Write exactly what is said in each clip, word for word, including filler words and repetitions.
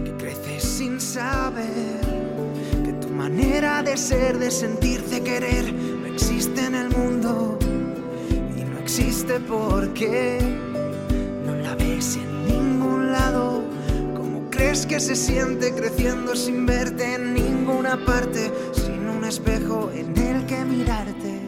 que creces sin saber que tu manera de ser, de sentirte querer, no existe en el mundo y no existe porque no la ves en ningún lado. ¿Cómo crees que se siente creciendo sin verte en ninguna parte, sin un espejo en el que mirarte?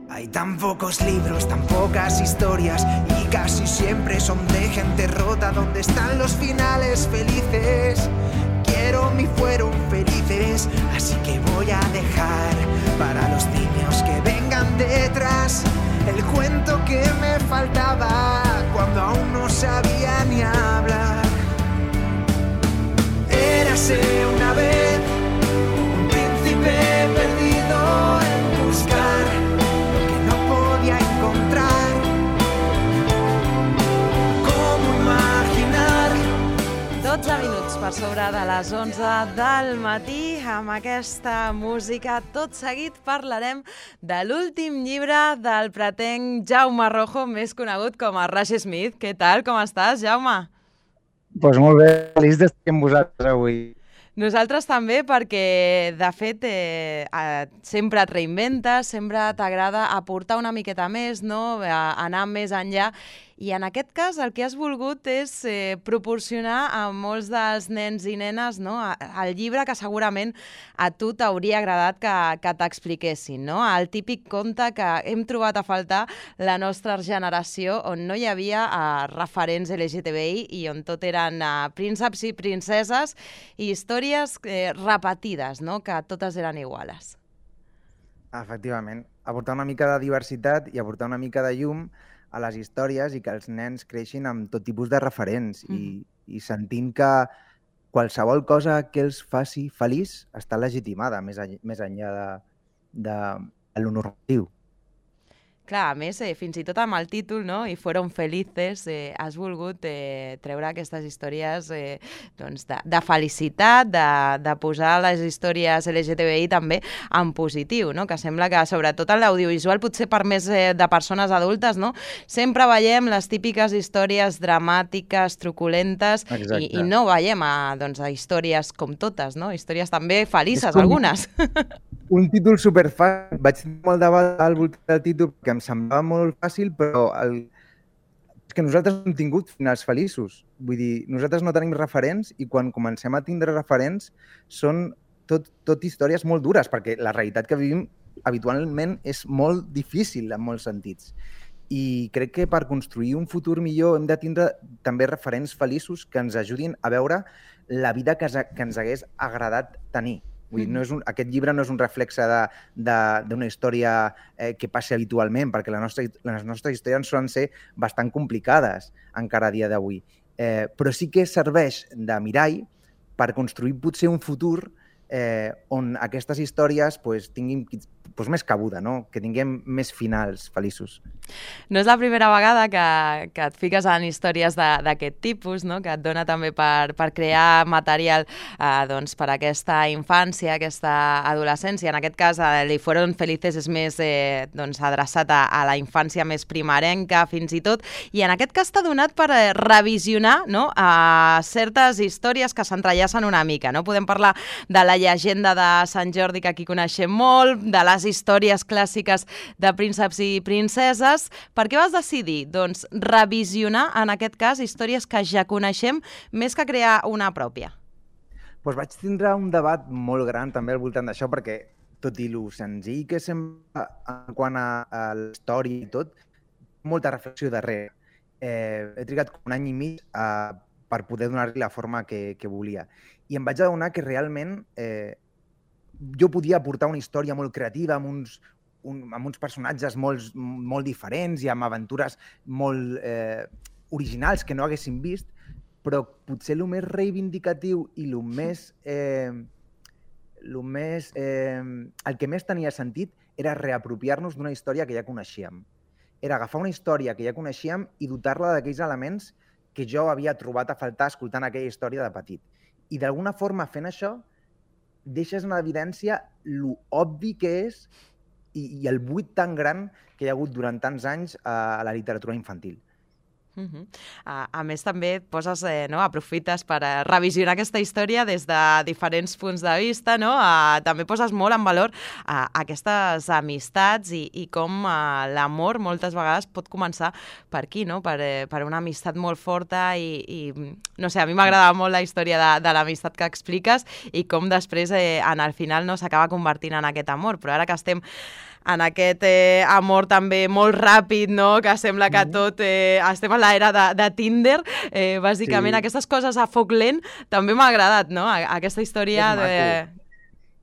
Hay tan pocos libros, tan pocas historias y casi siempre son de gente rota. ¿Dónde están los finales felices? Quiero mi fueron felices, así que voy a dejar para los niños que vengan detrás el cuento que me faltaba cuando aún no sabía ni hablar. Érase una vez un príncipe perdido en buscar encontrar. Com imaginar. dotze minuts per sobre de les onze del matí. Amb aquesta música, tot seguit parlarem de l'últim llibre del pretenc Jaume Rojo, més conegut com a Rush Smith. Què tal? Com estàs, Jaume? Doncs pues molt bé, feliç d'estar amb vosaltres avui. Nosaltres també, perquè, de fet, eh, eh, sempre et reinventes, sempre t'agrada aportar una miqueta més, no? Anar més enllà. I en aquest cas el que has volgut és eh, proporcionar a molts dels nens i nenes, no? El llibre que segurament a tu t'hauria agradat que, que t'expliquessin, no? El típic conte que hem trobat a faltar la nostra generació, on no hi havia eh, referents L G T B I i on tot eren eh, prínceps i princeses i històries eh, repetides, no? Que totes eren iguales. Efectivament. Aportar una mica de diversitat i aportar una mica de llum a les històries i que els nens creixin amb tot tipus de referents mm. i, i sentint que qualsevol cosa que els faci feliç està legitimada més, a, més enllà de, de, de lo normatiu. Clar, a més, eh, fins i tot amb el títol, no? I fueron felices, eh, has volgut eh, treure aquestes històries eh, doncs de, de felicitat, de, de posar les històries L G T B I també en positiu, no? Que sembla que, sobretot en l'audiovisual, potser per més eh, de persones adultes, no? Sempre veiem les típiques històries dramàtiques, truculentes, i, i no veiem a, doncs, a històries com totes, no? Històries també felices, com algunes. Un títol superfàcil. Vaig tenir molt debat al voltant del títol perquè em semblava molt fàcil, però el... és que nosaltres no hem tingut finals feliços. Vull dir, nosaltres no tenim referents i quan comencem a tindre referents són tot, tot històries molt dures, perquè la realitat que vivim habitualment és molt difícil en molts sentits. I crec que per construir un futur millor hem de tindre també referents feliços que ens ajudin a veure la vida que, que ens hagués agradat tenir. Vull dir, no és un, aquest llibre no és un reflexe d'una història eh, que passi habitualment, perquè la nostra, les nostres històries solen ser bastant complicades encara a dia d'avui. Eh, però sí que serveix de mirall per construir potser un futur eh, on aquestes històries pues, tinguin pues, més cabuda, no? Que tinguem més finals feliços. No és la primera vegada que, que et fiques en històries d'aquest tipus, no? Que et dona també per, per crear material eh, doncs, per a aquesta infància, aquesta adolescència. En aquest cas, eh, Li fueron felices és més eh, doncs, adreçat a, a la infància més primerenca, fins i tot. I en aquest cas t'ha donat per eh, revisionar, no? a certes històries que s'entrellacen una mica. No? Podem parlar de la llegenda de Sant Jordi, que aquí coneixem molt, de les històries clàssiques de prínceps i princeses. Per què vas decidir? Doncs revisionar, en aquest cas, històries que ja coneixem, més que crear una pròpia. Doncs vaig tindre un debat molt gran també al voltant d'això, perquè tot i lo senzill que sembla en quant a, a la història i tot, molta reflexió darrere. Eh, he trigat un any i mig eh, per poder donar-li la forma que, que volia. I em vaig adonar que realment eh, jo podia aportar una història molt creativa amb uns, un, amb uns personatges molt, molt diferents i amb aventures molt eh, originals que no haguéssim vist, però potser el més reivindicatiu i el més... Eh, el, més eh, el que més tenia sentit era reapropiar-nos d'una història que ja coneixíem. Era agafar una història que ja coneixíem i dotar-la d'aquells elements que jo havia trobat a faltar escoltant aquella història de petit. I d'alguna forma, fent això, deixes en evidència lo obvi que és i, i el buit tan gran que hi ha hagut durant tants anys a la literatura infantil. Uh -huh. a, a més, també et poses, eh, no? aprofites per eh, revisionar aquesta història des de diferents punts de vista, no? A, també poses molt en valor a, aquestes amistats i, i com a, l'amor moltes vegades pot començar per aquí, no? per, eh, per una amistat molt forta i, i no sé, a mi m'agrada molt la història de, de l'amistat que expliques i com després eh, en el final no s'acaba convertint en aquest amor, però ara que estem en aquest eh, amor també molt ràpid, no? Que sembla que tot... Eh, estem a l'era de, de Tinder, eh, bàsicament. Sí. Aquestes coses a foc lent també m'ha agradat, no? Aquesta història de...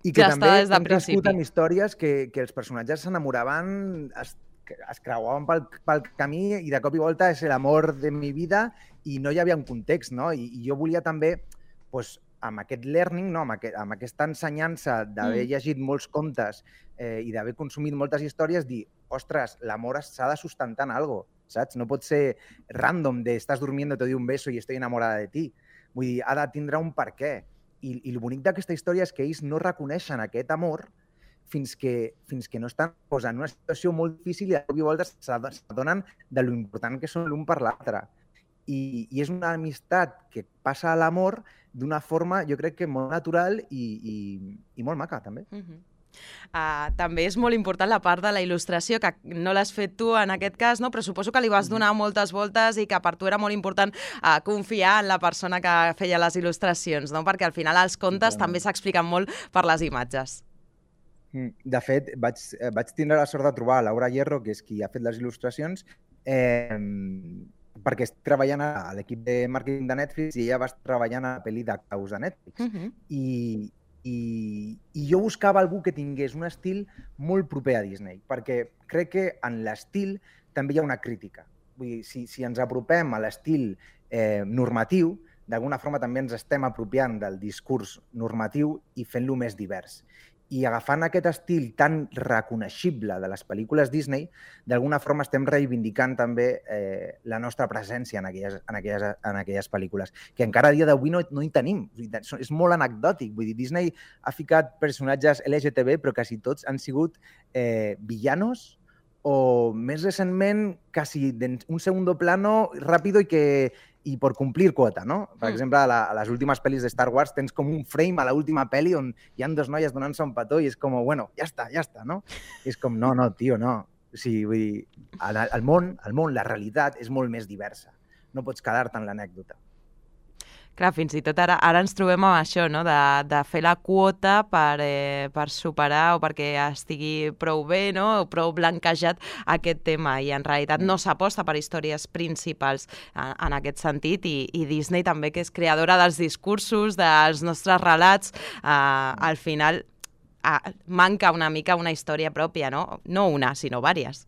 I que ja també hem crescut amb històries que, que els personatges s'enamoraven, es, es creuaven pel, pel camí i de cop i volta és l'amor de mi vida i no hi havia un context, no? I, i jo volia també, pues, amb aquest learning, no? amb, aquest, amb aquesta ensenyança d'haver mm. llegit molts contes eh, i d'haver consumit moltes històries, dir, ostres, l'amor s'ha de sustentar en algo, saps? No pot ser random de estàs durmiendo, te doy un beso i estoy enamorada de ti. Vull dir, ha de tindre un per què. I, i el bonic d'aquesta història és que ells no reconeixen aquest amor fins que, fins que no estan pues, en una situació molt difícil i de cop i volta s'adonen de lo important que són l'un per l'altre. I, I és una amistat que passa a l'amor d'una forma, jo crec que molt natural i, i, i molt maca, també. Uh-huh. Uh, també és molt important la part de la il·lustració, que no l'has fet tu en aquest cas, no? Però suposo que li vas donar moltes voltes i que per tu era molt important uh, confiar en la persona que feia les il·lustracions, no? Perquè al final els contes sí, també s'expliquen molt per les imatges. De fet, vaig, vaig tindre la sort de trobar Laura Hierro, que és qui ha fet les il·lustracions, eh, perquè estic treballant a l'equip de màrqueting de Netflix i ella va estar treballant a la pel·li de Caus de Netflix. Uh-huh. I, i, I jo buscava algú que tingués un estil molt proper a Disney, perquè crec que en l'estil també hi ha una crítica. Vull dir, si, si ens apropem a l'estil eh, normatiu, d'alguna forma també ens estem apropiant del discurs normatiu i fent-lo més divers. I agafant aquest estil tan reconeixible de les pel·lícules Disney, d'alguna forma estem reivindicant també eh, la nostra presència en aquelles, en aquelles, en aquelles pel·lícules, que encara a dia d'avui no, no hi tenim. És molt anecdòtic. Vull dir, Disney ha ficat personatges L G T B, però quasi tots han sigut eh, villanos o, més recentment, quasi un segundo plano ràpido i que... i per complir quota, no? Per mm. exemple, a, la, a les últimes pel·lis de Star Wars tens com un frame a l'última pel·li on hi ha dos noies donant-se un petó i és com, bueno, ja està, ja està, no? I és com, no, no, tio, no. O sigui, vull dir, el, el món, el món, la realitat és molt més diversa. No pots quedar-te en l'anècdota. Clar, fins i tot ara, ara ens trobem amb això, no? de, de fer la quota per, eh, per superar o perquè estigui prou bé, no? O prou blanquejat aquest tema, i en realitat no s'aposta per històries principals en, en aquest sentit, i, i Disney també, que és creadora dels discursos, dels nostres relats, eh, al final eh, manca una mica una història pròpia, no? No una, sinó vàries.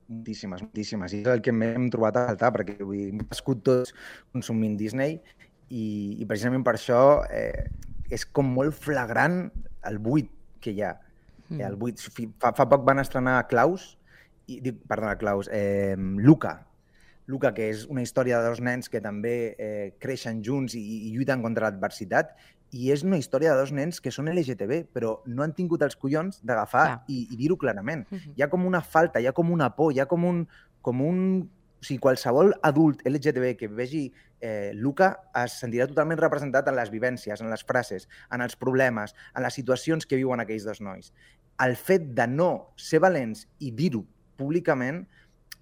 Moltíssimes, moltíssimes. I és el que m'hem trobat a faltar, perquè vull dir, hem viscut tots consumint Disney i, i precisament per això eh, és com molt flagrant el buit que hi ha. Mm. El buit. Fa, fa poc van estrenar Klaus, i, dic, perdona, Klaus, eh, Luca. Luca, que és una història de dos nens que també eh, creixen junts i, i lluiten contra l'adversitat, i és una història de dos nens que són L G T B, però no han tingut els collons d'agafar ah. i, i dir-ho clarament. Uh-huh. Hi ha com una falta, hi ha com una por, hi ha com un... Com un o sigui, qualsevol adult L G T B que vegi eh, Luca es sentirà totalment representat en les vivències, en les frases, en els problemes, en les situacions que viuen aquells dos nois. El fet de no ser valents i dir-ho públicament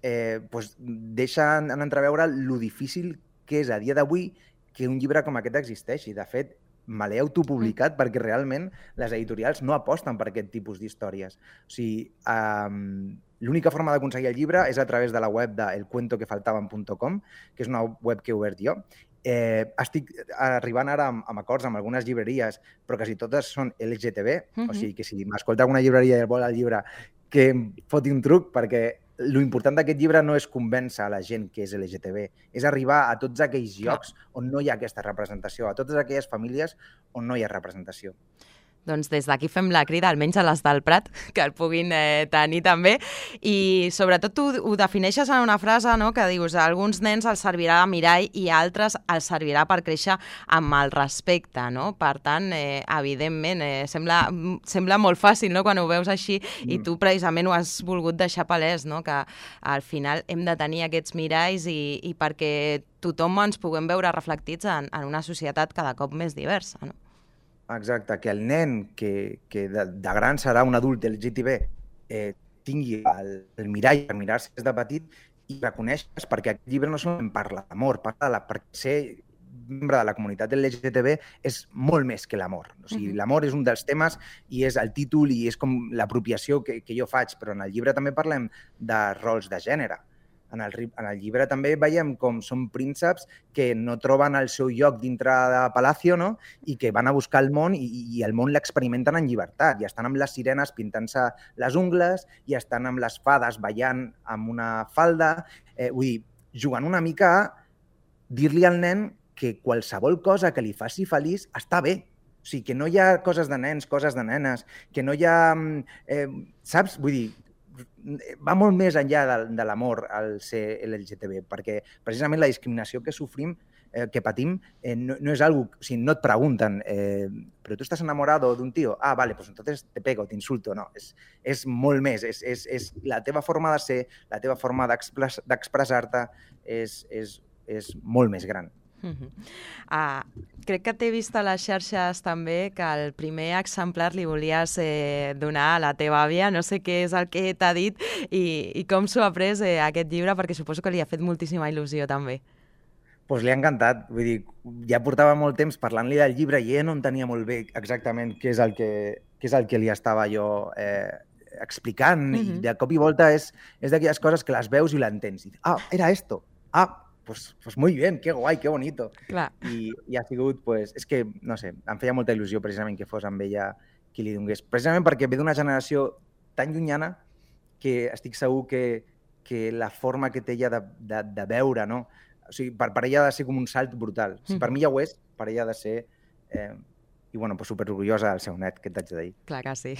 eh, pues, deixa en entreveure lo difícil que és a dia d'avui que un llibre com aquest existeixi. De fet, me l'he autopublicat perquè realment les editorials no aposten per aquest tipus d'històries. O sigui, um, l'única forma d'aconseguir el llibre és a través de la web de el cuento que faltaban punt com, que és una web que he obert jo. Eh, estic arribant ara amb, amb acords amb algunes llibreries, però quasi totes són L G T B, uh-huh. O sigui que si m'escolta alguna llibreria i vol el llibre, que em foti un truc, perquè lo important d'aquest llibre no és convèncer a la gent que és L G T B, és arribar a tots aquells llocs on no hi ha aquesta representació, a totes aquelles famílies on no hi ha representació. Doncs des d'aquí fem la crida, almenys a les del Prat, que el puguin eh, tenir també. I sobretot tu ho defineixes en una frase, no?, que dius a alguns nens els servirà de mirall i a altres els servirà per créixer amb el respecte, no? Per tant, eh, evidentment, eh, sembla, sembla molt fàcil, no?, quan ho veus així, mm. i tu precisament ho has volgut deixar palès, no?, que al final hem de tenir aquests miralls i, i perquè tothom ens puguem veure reflectits en, en una societat cada cop més diversa, no? Exacte, que el nen que, que de, de gran serà un adult L G T B eh, tingui el, el mirall per mirar-se des de petit i reconeixes, perquè aquest llibre no solament parla d'amor, parla de la, perquè ser membre de la comunitat L G T B és molt més que l'amor. O sigui, uh-huh. L'amor és un dels temes i és el títol i és com l'apropiació que, que jo faig, però en el llibre també parlem de rols de gènere. En el, en el llibre també veiem com són prínceps que no troben el seu lloc dintre de Palacio, no? I que van a buscar el món i, i el món l'experimenten en llibertat. I estan amb les sirenes pintant-se les ungles i estan amb les fades ballant amb una falda. Eh, vull dir, jugant una mica a dir-li al nen que qualsevol cosa que li faci feliç està bé. O sigui, que no hi ha coses de nens, coses de nenes, que no hi ha... Eh, saps? Vull dir, va molt més enllà de, de l'amor al ser L G T B, perquè precisament la discriminació que sofrim, eh, que patim, eh, no, no és algo... O sigui, no et pregunten, eh, però tu estàs enamorado d'un tío? Ah, vale, pues entonces te pego, t'insulto. No, és, és molt més. És, és, és la teva forma de ser, la teva forma d'expressar-te és, és, és molt més gran. Uh-huh. Uh, crec que t'he vist a les xarxes també que el primer exemplar li volies eh, donar a la teva àvia, no sé què és el que t'ha dit i, i com s'ho ha pres eh, aquest llibre, perquè suposo que li ha fet moltíssima il·lusió també. Doncs pues li ha encantat, vull dir, ja portava molt temps parlant-li del llibre i ella no entenia molt bé exactament què és el que, què és el que li estava jo eh, explicant, uh-huh. I de cop i volta és, és d'aquelles coses que les veus i l'entens. Ah, era esto, ah, Pues, pues muy bien, qué guai, qué bonito. Clar. I, i ha sigut, pues, és que, no sé, em feia molta il·lusió precisament que fos amb ella qui li donés. Precisament perquè ve d'una generació tan llunyana que estic segur que, que la forma que té ella de, de, de veure, no? O sigui, per, per ella ha de ser com un salt brutal. Si per mi ja ho és, per ella ha de ser... Eh, i, bueno, pues, superorgullosa del seu net, que t'haig de dir. Clar que sí.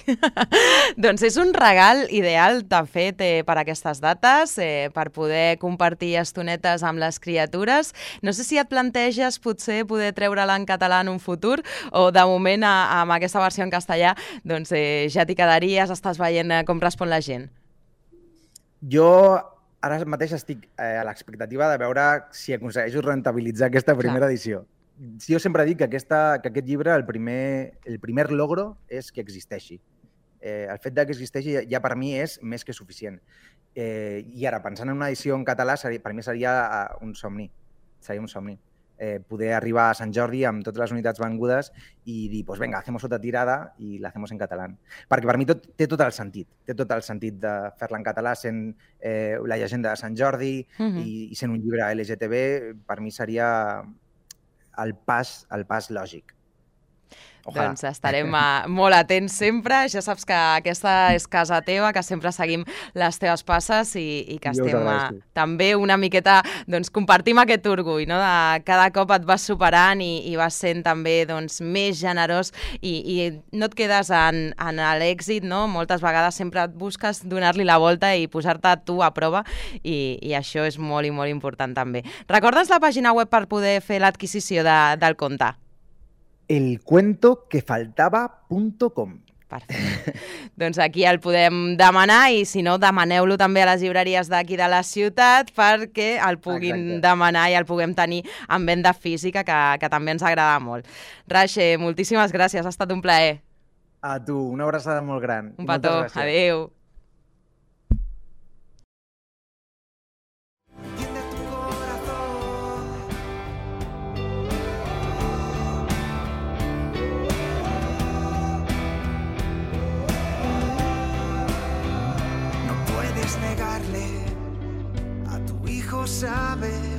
Doncs és un regal ideal, de fet, eh, per aquestes dates, eh, per poder compartir estonetes amb les criatures. No sé si et planteges potser poder treure-la en català en un futur o, de moment, a, amb aquesta versió en castellà, doncs eh, ja t'hi quedaries, estàs veient eh, com respon la gent. Jo ara mateix estic eh, a l'expectativa de veure si aconsegueixo rentabilitzar aquesta primera Clar. edició. Jo sempre dic que, aquesta, que aquest llibre, el primer, el primer logro és que existeixi. Eh, el fet de que existeixi ja, ja per mi és més que suficient. Eh, I ara, pensant en una edició en català, seria, per mi seria un somni. Seria un somni. Eh, poder arribar a Sant Jordi amb totes les unitats vengudes i dir, pues venga, hacemos otra tirada i la hacemos en català. Perquè per mi tot, té tot el sentit. Té tot el sentit de fer-la en català sent eh, la llegenda de Sant Jordi uh-huh. i, i sent un llibre L G T B, per mi seria... el pas, el pas lògic. Ojalà. Doncs estarem uh, molt atents sempre. Ja saps que aquesta és casa teva, que sempre seguim les teves passes i, i que jo estem uh, també una miqueta, doncs compartim aquest orgull, no? De cada cop et vas superant i, i vas sent també doncs, més generós i, i no et quedes en, en l'èxit, no? Moltes vegades sempre et busques donar-li la volta i posar-te tu a prova i, i això és molt i molt important també. Recordes la pàgina web per poder fer l'adquisició de, del conte? el cuento que faltaba punto com. Perfecte. Doncs aquí el podem demanar i si no, demaneu-lo també a les llibreries d'aquí de la ciutat perquè el puguin Exacte. demanar i el puguem tenir en venda física, que, que també ens agrada molt. Rache, moltíssimes gràcies, ha estat un plaer. A tu, una abraçada molt gran. Un petó, adéu. Negarle a tu hijo saber